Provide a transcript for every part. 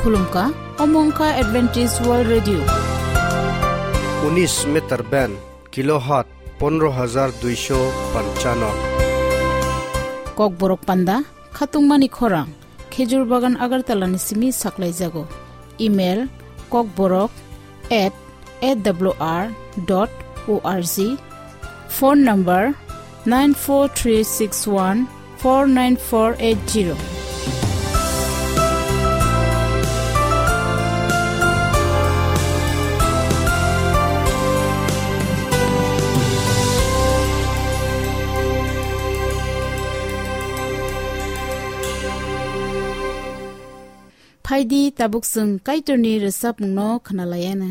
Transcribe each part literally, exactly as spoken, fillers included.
Khulumkha, omo wngkha Adventist World Radio. Unis meter band, kilohertz pondro hajar duisho panchano. Kokborok panda, khatungmani khorang, Khejur Bagan Agartala ni simi saklaijago. Email, kokborok at A W R dot O R G. Phone number nine four three six one four nine four eight zero. Phaidi tabuk chwng Kaitorni rwchapmungno khwnalaiyana.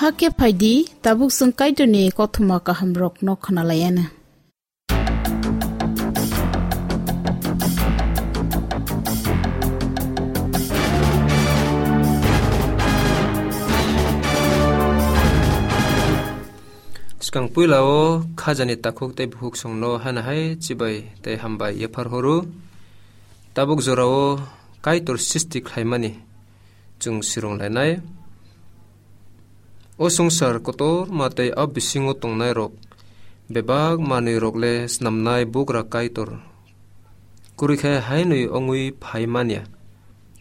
Hakhe phaidi, tabuk chwng Kaitorni kothoma kahamrokno khwnalaianw. Swkang puila o khajani takhuk tei bukhuk songno haino hai chibai tei hambai yaphar horo. Tabuk jorao Kaitor srishti khlaimani chwng swrwng lainai. O swngchar kotorma tei o bisingo tongnairok bebak manwirok le snamnai bugra Kaitor kwrwi khe hainwi wngwi phai manya.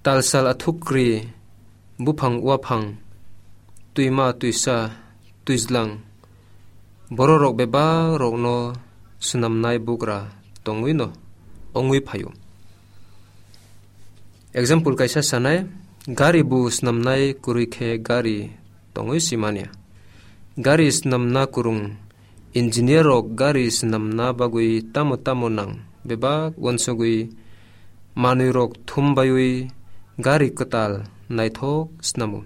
Talsal athukri, buphang uaphang, twima twisa, twijlang, bororok bebak rokno swnamnai bugra tongwino wngwi phaio. Example kaisa sanai, gari bo swnamnai kwrwi khe gari tongwi simanya. Gari swnamna kwrwng engineer rok gari swnamna bagwi tamo tamo nang bebak uansugwi manwirok thumbaiwi gari kwtal naithok snamo.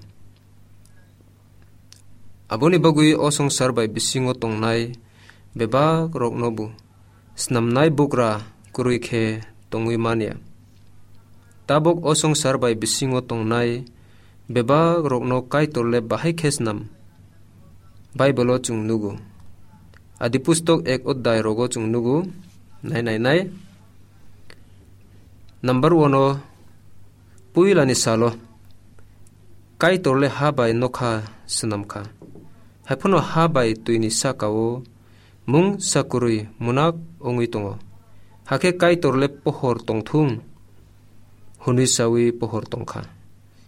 Aboni bagwi o swngchar bai bisingo tongnai bebak rokno bo snamnai bugra kwrwi khe tongwi manya. Tabuk o swngchar bai bisingo tongnai bebak rokno Kaitor le bahai khe snam. Bible o chwng nugo. Adi pustok ek odai rogo chwng nugo. Nai nai nai. Number one o puilani salo Kaitor le ha bai nokha swnam kha. Haiphano ha bai twini saka o mung sakurwi munak wngwi tongo. Hakhe Kaitor le pohor tongthung hwnwi sawi pohor tongkha.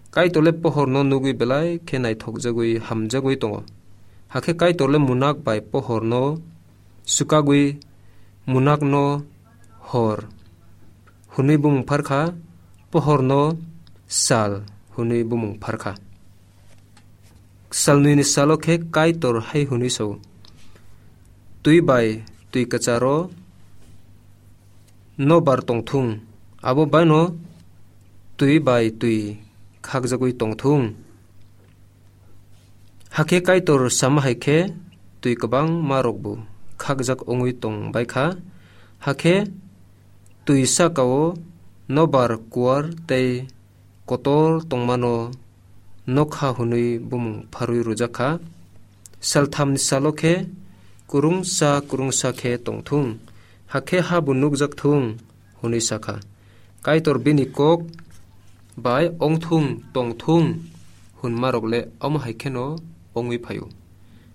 Kaitor le pohorno nugwi belai khe naithokjagwi hamjagwi tongo. Hakhe Kaitor le munak bai pohorno swkagwi munakno hor hwnwi bumung pharkha, pohorno sal hwnwi bumung pharkha. Salnwini salo khe Kaitor hai hwnwi sao, "Twi bai twi kwcharo nobar tongthung, abo baino twi bai twi khakjagwi tongthung." Hakhe Kaitor sama hai khe twi kwbangma rokbo khakjak wngwi tong bai kha. Hakhe twi saka-o nobar kuar tei kotor tongmano nokha hwnwi bumung pharwi rwjak kha. Salthamni salo khe kwrwngsa kwrwngsa khe tongthung, hakhe habo nukjak thung, hwnwi sa kha. Kaitor bini kok bai ongthung tongthung hwnmarok le omo hai kheno ongwi phaio.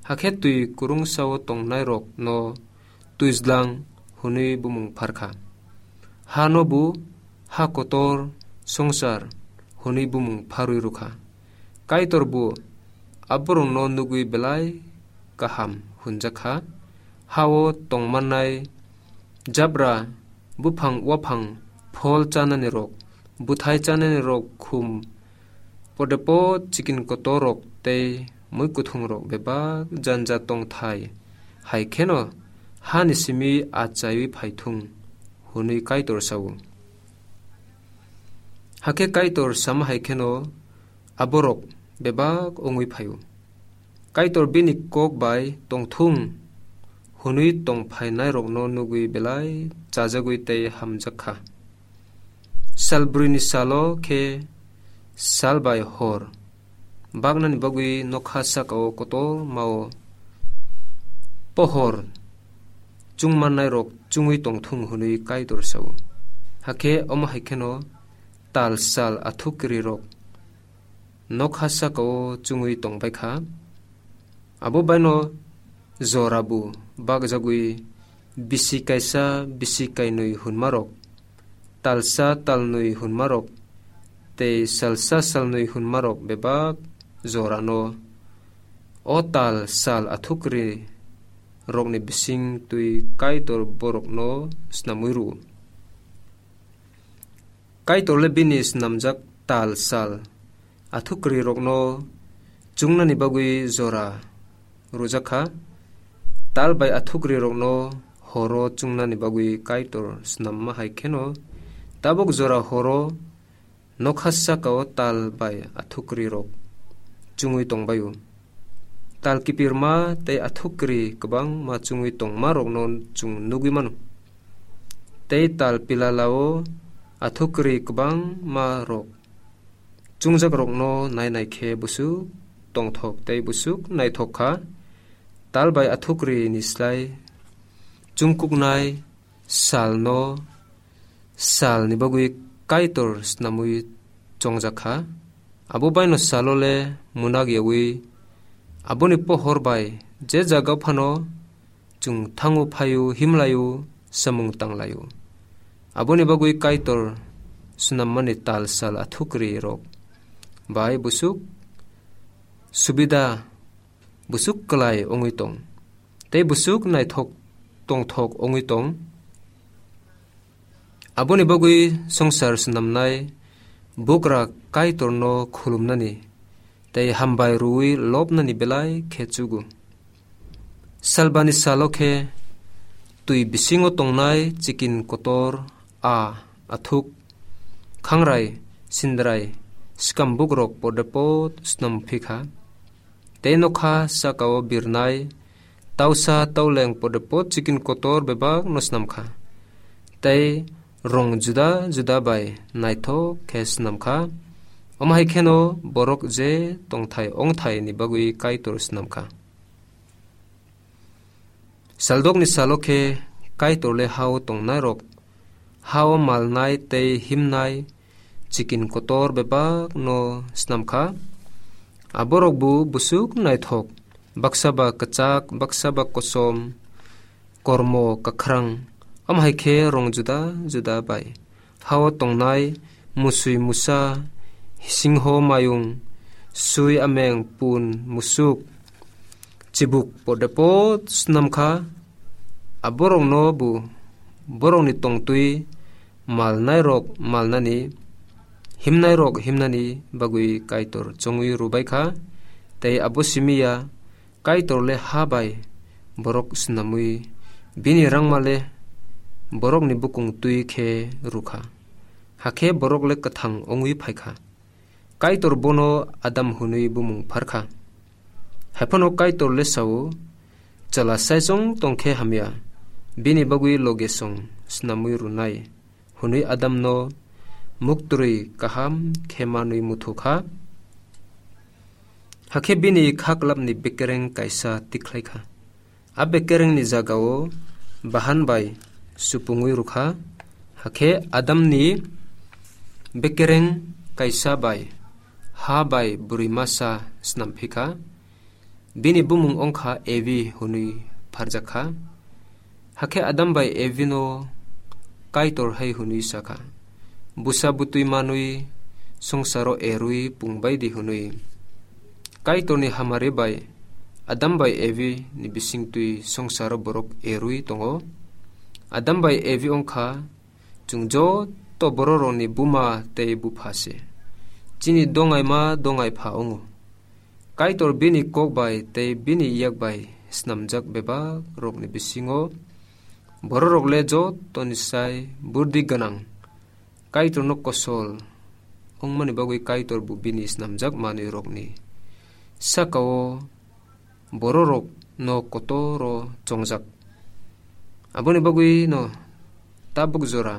Hakhe twi kwrwngsa-o tongnairokno twijlang hwnwi bumung phar kha. Hano bo ha kotor swngchar hwnwi bumung pharwi rw kha. Kaitor bo aborokno nugwi belai kaham hwnjak kha. Ha-o tongmannai jabra, buphang waphang, phol chanani rok, bwthai chanani rok, khum podepot chikin kotor rok tei mui kuthung rok bebak janja tongthai hai kheno hani simi achaiwi phaithung hwnwi Kaitor sao. Hakhe Kaitor sama hai kheno aborok bebak wngwi phaio. Kaitor bini kok bai tongthung hwnwi tongphainairokno nugwi belai chajagwi tei hamjak kha. Sal brwini salo khe sal bai hor baknani bagwi nokha saka-o kotor ma-o pohor chungmannairok chungwi tongthung hwnwi Kaitor sao. Hakhe omo hai kheno tal sal athukrirok nokha saka-o chungwi tongbai kha. Abo baino jora bo bakjagwi bisi kaisa, bisi kainwi hwnmarok, talsa talnwi hwnmarok tei salsa salnwi hwnmarok bebak jorano o tal sal athukri rokni bising twi Kaitor borokno snamwi rwo. Kaitor le bini snamjak tal sal athukri rokno chungnani bagwi jora rwjak kha. Tal bai athukri rokno horo chungnani bagwi Kaitor snamma hai kheno tabuk jora horo nokha saka-o tal bai athukri rok chungwi tongbaio. tal kipirma tei athukri kwbangma chungwi tongmarokno chwng nugwi mano. Tei tal pilalao athukri kwbangma rok chungjakrokno nainai khe busuk tongthok tei busuk naithok kha. Tal bai athukri ni slai chungkuknai salno salni bagwi Kaitor snamwi chongjak kha. Abo baino salo le munak yawi, aboni pohor bai je jaga phano chwng thango phaio, himlaio, samung tanglaio. Aboni bagwi Kaitor swnammani tal sal athukri rok bai busuk subida, busuk kwlai wngwi tong, tei busuk naithok tongthok wngwi tong. Aboni bagwi swngchar swnamnai bugra Kaitorno khulumnani tei hambai rwui lobnani belai khe chugo. Salbani salo khe twi bisingo tongnai chikin kotor, a, athuk, khangrai, sindrai, swkam bugrok podepot swnam phi kha. Tei nokha sakao birnai tausa tauleng podepot chikin kotor bebak no swnam kha. Tei rong juda juda bai naithok khe swnam kha. Omo hai kheno borok je tongthai ongthai ni bagwi Kaitor swnam kha. Saldokni salo khe Kaitor le hao tongnai rok, hao malnai tei himnai chikin kotor bebak no swnam kha. Aborok bo busuk naithok, baksa ba kwchak, baksa ba kosom, kormo kwkhrang, omo hai khe rong juda juda bai hao tongnai musui musa, singho mayung, sui ameng pun musuk, chibuk podepot swnam kha. Aborokno bo borokni tongtwi malnairok malnani, himnairok himnani bagwi Kaitor chongwi rwbai kha. Tei abo simi ya, Kaitor le ha bai borok swnamwi bini rangma le borokni bukung twi khe rw kha. Hakhe borok le kwthang wngwi phai kha. Kaitor bono Adam hwnwi bumung phar kha. Haiphano Kaitor le sao, "Chwla saichung tong khe hamya, bini bagwi loge song swnamwi rwnai," hwnwi Adamno muktrwi kaham khe manwi muthu kha. Hakhe bini kha klapni bekereng kaisa tikhlai kha. A bekerengni jagao bahan bai supungwi rw kha. Hakhe Adamni bekereng kaisa bai ha bai bwrwi masa snam phi kha. Bini bumung wng kha Evi hwnwi pharjak kha. Hakhe Adam bai Evino Kaitor hai hwnwi sa kha, "Bwsa bwtwi manwi swngcharo erwi pung bai di," hwnwi. Kaitorni hamari bai Adam bai Evi ni bisingtwi swngcharo borok erwi tongo. Adam bai Evi wng kha chwng joto bororokni buma tei bupha se. Chini dongaima dongai pha wngo. Kaitor bini kok bai tei bini yak bai snamjak bebak rokni bisingo bororok le jotoni sai burdi gwnang. Kaitorno kosol wngmani bagwi Kaitor bo bini snamjak manwi rokni sakao bororok no kotoro chongjak. Aboni bagwi no tabuk jora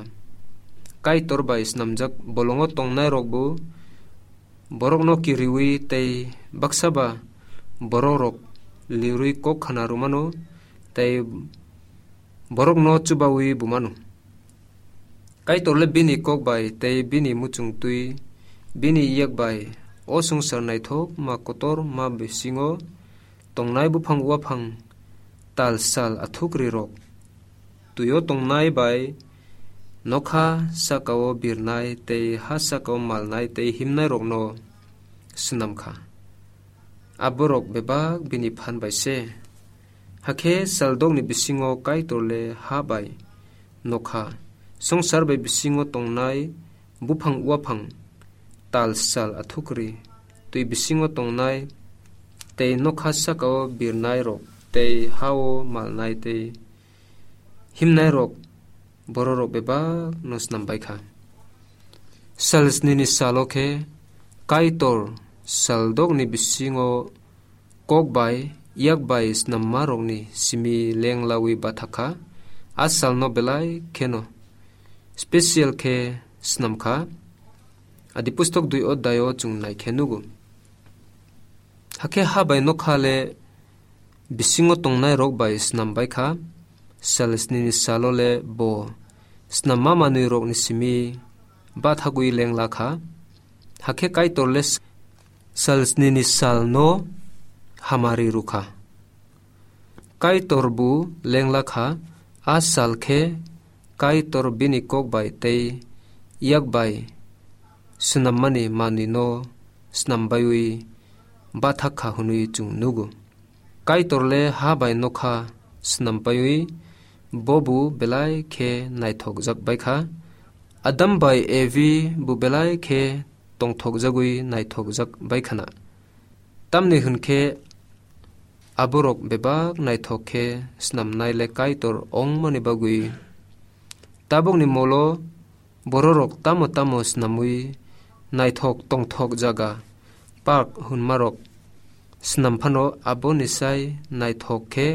Kaitor bai snamjak bolongo tongnai rok bo borokno kiriwi tei baksa ba borok rok lirwi kok khana rwmano tei borokno chubawi bumano. Kaitor le bini kok bai tei bini muchungtwi bini yak bai o swngchar naithok ma kotor ma bisingo tongnai buphang uaphang tal sal athukri rok, twio tongnai bai nokha sakao birnai tei ha sakao malnai tei himnai rokno swnam kha. Aborok bebak bini phan bai se. Hakhe saldokni bisingo Kaitor le ha bai nokha, swngchar bai bisingo tongnai buphang uaphang, tal sal athukri, twi bisingo tongnai tei nokha sakao birnai rok tei hao malnai tei himnai rok bororok bebak no snam bai kha. Sal snini salo khe Kaitor saldokni bisingo kok bai, yak bai snammarokni simi lenglawi bathak kha. A salno belai kheno special khe snam kha. Adi pustok dui odai o chwng nai khe nugo. Hakhe ha bai nokha le bisingo tongnairok bai snam bai kha. Sal snini salo le bo snamma manwirokni simi bathagwi lengla kha. Hakhe Kaitor le sal snini salno hamari rw kha. Kaitor bo lengla kha, a sal khe Kaitor bini kok bai tei yak bai swnammani manwino snam baiwi bathak kha hwnwi chwng nugo. Kaitor le ha bai nokha snam baiwi bo bo belai khe naithokjak bai kha. Adam bai Evi bo belai khe tongthokjagwi naithokjak bai khana. Tamni hwn khe aborok bebak naithok khe snamnai le Kaitor ongmani bagwi tabukni molo bororok tamo tamo snamwi naithok tongthok jaga park hwnmarok snam phano aboni sai naithok khe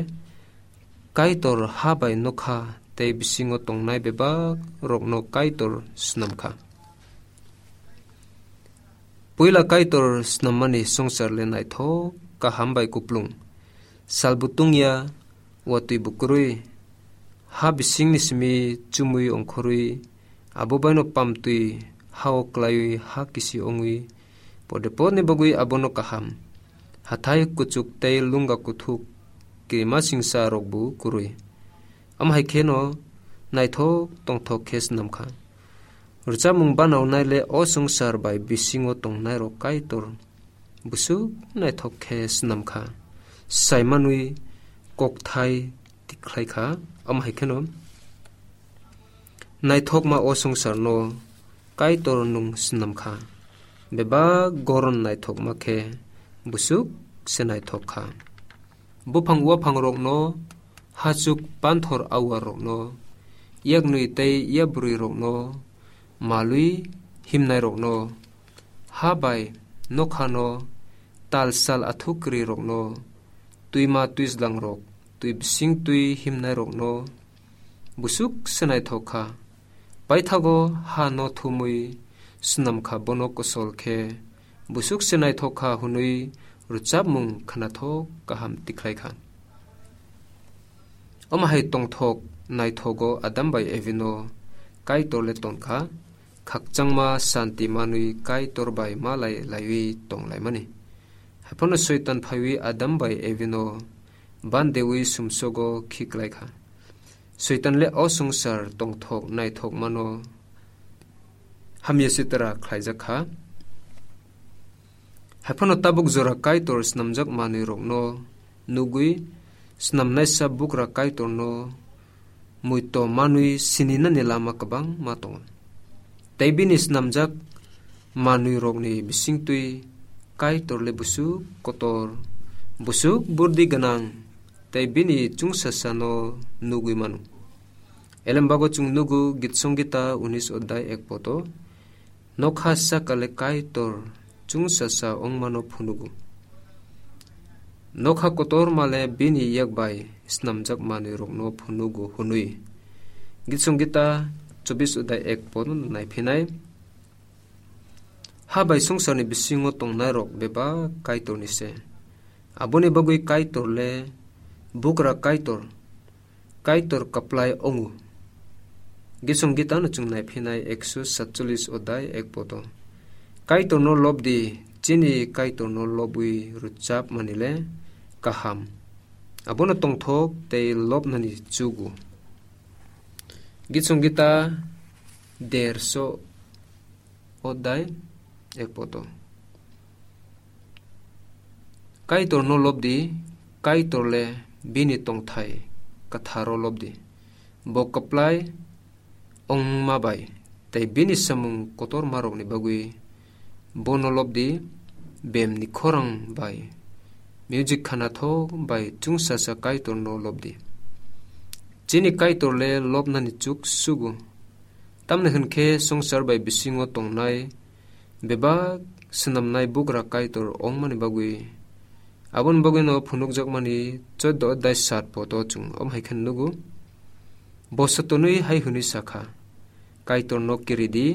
Kaitor ha bai nokha tei bisingo tongnai bebak rokno Kaitor snam kha. Puila Kaitor snammani swngchar le naithok kaham bai kuplung. Salbo tungya, watwi bo kwrwi, ha bisingni simi chumui ongkhorwi, abo baino pamtwi hao klaiwi ha kisi ongwi, pode podni bagwi abono kaham. Hathai kuchuk tei lunga kuthuk kirima singsa rokbo kwrwi. Am hai kheno naithok tongthok khe snam kha. Rwchapmung banaunai le o swngchar bai bisingo tongnairok Kaitor bwswk naithok khe snam kha. Saimanwi kokthai tikhlai kha. Am hai kheno naithokma o swngcharno Kaitor nwng snam kha. Bebak goron naithokma khe bwswk se naithok kha. Buphang uaphangrokno, hachuk panthor auarrokno, yaknwi tei yabrwirokno, malwi himnairokno, ha bai nokhano, tal sal athuk kwrwirokno, twima twijlangrok, twi bising twi himnairokno, bwswk se naithok kha. Paithago ha no thumwi snam kha bono kosol khe, bwswk se naithok kha hwnwi rwchapmung khnathok kaham tikhlai kha. Omo hai tongthok naithogo Adam bai Evino Kaitor le ton kha, khakchangma santi manwi Kaitor bai malai laiwi tong laimani. Haiphano Soitan phaiwi Adam bai Evino bandewi sumsogo khiklai kha. Soitan le o swngchar tongthok naithok mano hamya sitra khlaijak kha. Haiphano tabuk jora Kaitor snamjak manwirokno nugwi snamnaisa bugra Kaitorno muito manwi sininani lama kwbangma tongo. Tei bini snamjak manwirokni bisingtwi Kaitor le bwswk kotor, bwswk burdi gwnang, tei bini chwngsasano nugwi mano. Elembago chwng nugo Git Songita unis odai ek poto, nokha sakale Kaitor chwngsasa ongmano phunugo. Nokha kotor male bini yak bai snamjak manwirokno phunugo hwnwi. Git Songita chobis odai ek poto naiphinai. Ha bai swngcharni bisingo tongnairok bebak Kaitorni se. Aboni bagwi Kaitor le bugra Kaitor, Kaitor kaplai ongo. Git Songita no chwng naiphinai ekso satchollis odai ek poto. Kaitorno lobdi, chini Kaitorno lobwi rwchapmani le kaham. Abono tongthok tei lobnani chugo. Git Songita derso odai ek poto. Kaitorno lobdi, Kaitor le bini tongthai kwtharo lobdi. Bo kwplai ongma bai tei bini samung kotormarokni bagwi bono lobdi, bemni khorang bai music khanathok bai chwngsasa Kaitorno lobdi. Chini Kaitor le lobnani chuk sugo. Tamni hwn khe swngchar bai bisingo tongnai bebak swnamnai bugra Kaitor ongmani bagwi Aboni bagwino phunukjakmani choddo adhyay sat podo chwng om hai khe nugo. Bo sotonwi hai hwnwi sakha, "Kaitorno kiridi,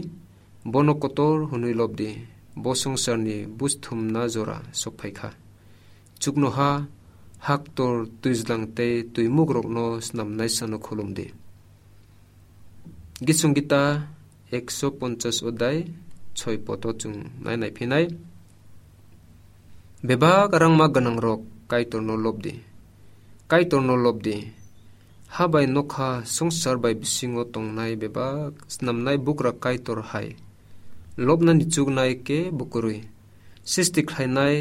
bono kotor hwnwi lobdi, bo swngcharni buj thumna jora sokphaikha. Chuknoha, haktor, twijlang tei twimukrokno snamnaisano khulumdi." Gisung Gita ekso ponchas odai, choi poto chwng nai nai phinai. Bebak rangma gwnangrok Kaitorno lobdi. Kaitorno lobdi. Ha bai nokha swngchar bai bisingo tongnai bebak snamnai bugra Kaitor hai. Lobnani chuknai kebo kwrwi. Sisti khlainai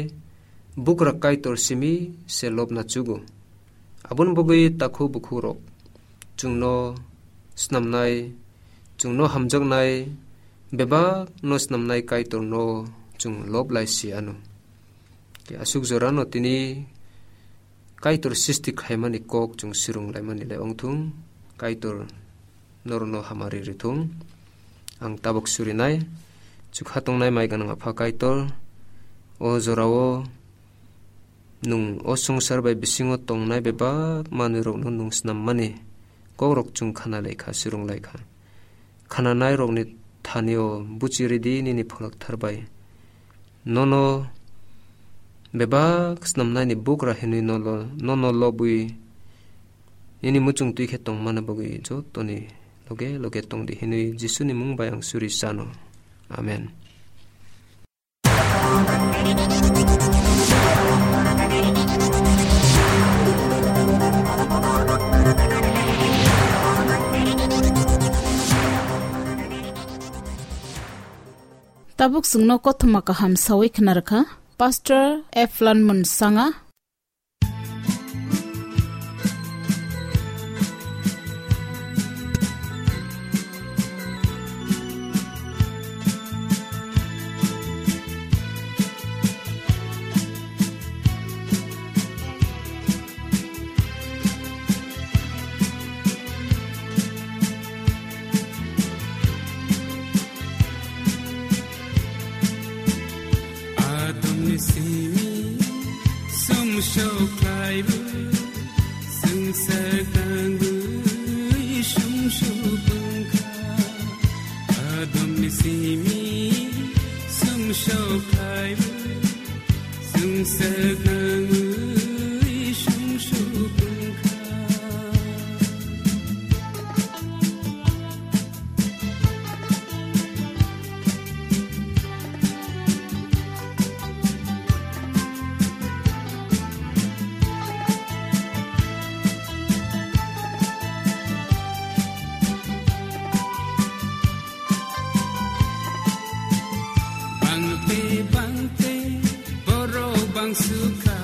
bugra Kaitor simi se lobna chugo. Aboni bagwi takhuk bukhukrok chwngno snamnai, chwngno hamjaknai, bebakno snamnai Kaitorno chwng lob lai si anw. Tei aswk jorano tini Kaitor sisti khlaimani kok chwng swrwng laimani le ongthung, Kaitor norokno hamari rithung. Ang tabuk surinai, chukha tongnai mai gwnang Apha Kaitor, o jorao nwng o swngchar bai bisingo tongnai bebak manwirokno nwng snammani kokrok chwng khana laikha, swrwng laikha. Khananairokni thanio buchi ridi nini pholokthar bai. Nono bebak snamnaini bugra hinwi nolo-, nono lobwi nini muchung twi khe tongmani bagwi jotoni loge loge tongdi hinwi Jisuni mung bai ang suri sano. Amen. Tabuk chwngno kothoma kaham sawi khna rwkha Pastor Eflan Munsanga. Adamni simi sumsok khlaibo, swngchar tangwi sumsok wngkha. Adamni simi sumsok khlaibo, swngchar tangwi sumsok wngkha. Bangte bangte borok bangsukha,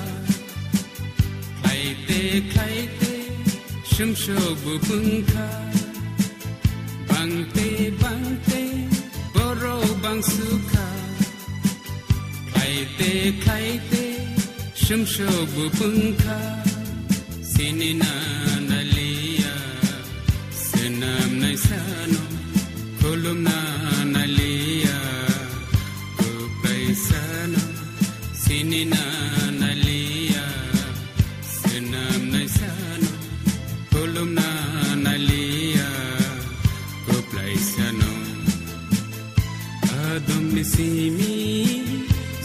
khlaite khlaite sumsok bo wngkha. Bangte bangte borok bangsukha, khlaite khlaite sumsok bo wngkha. Sinina naliya, swnamnai sano khulumna naliya, kwplai sano sinina naliya, swnamnai sano khulumna naliya, kwplai sano. Adamni simi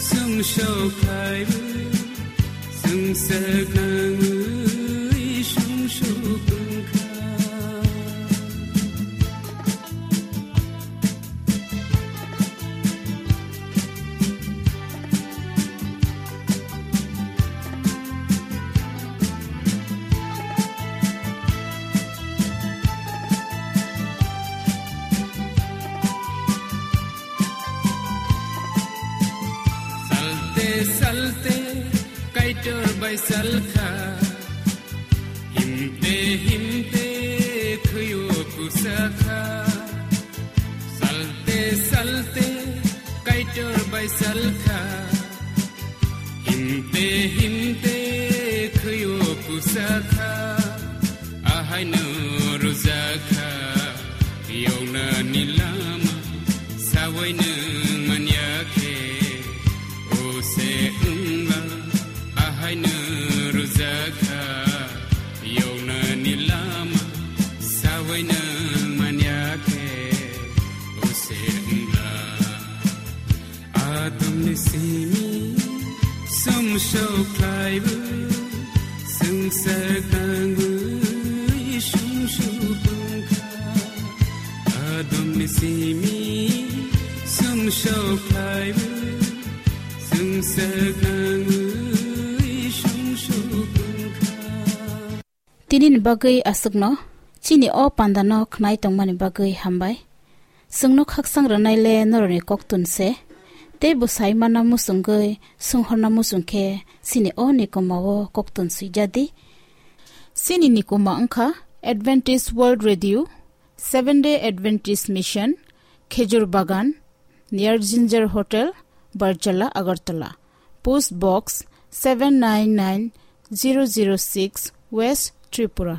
sumsok khlaibo, swngchar nangwi sumsok wngkha. Salte salte Kaitor bai salkha, himte himte khwio kusakha. Salte salte Kaitor bai salkha, himte himte khwio kusakha. Ahaino rwjakha yoknani lama, sawi nwng manya khe o se wngla. Ahaino Sokhlaibu, sungsar tangwi sumsu tongkha. Adum simi, sumsokhlaibu, sungsar tangwi sumsu tongkha. Tini ni bagwi aswkno, chini o pandano khnai tongmani bagwi hambai. Chwngno khaksang rwnai le norokni koktun se, tei bo sai manna muchungwi, songhorna muchung khe chini o nikoma o koktun swijadi. Chini nikoma wngkha Adventist World Radio, Seven Day Adventist Mission, Khejur Bagan, near Ginger Hotel, Barjala, Agartala. Post Box seven nine nine zero zero six, West Tripura.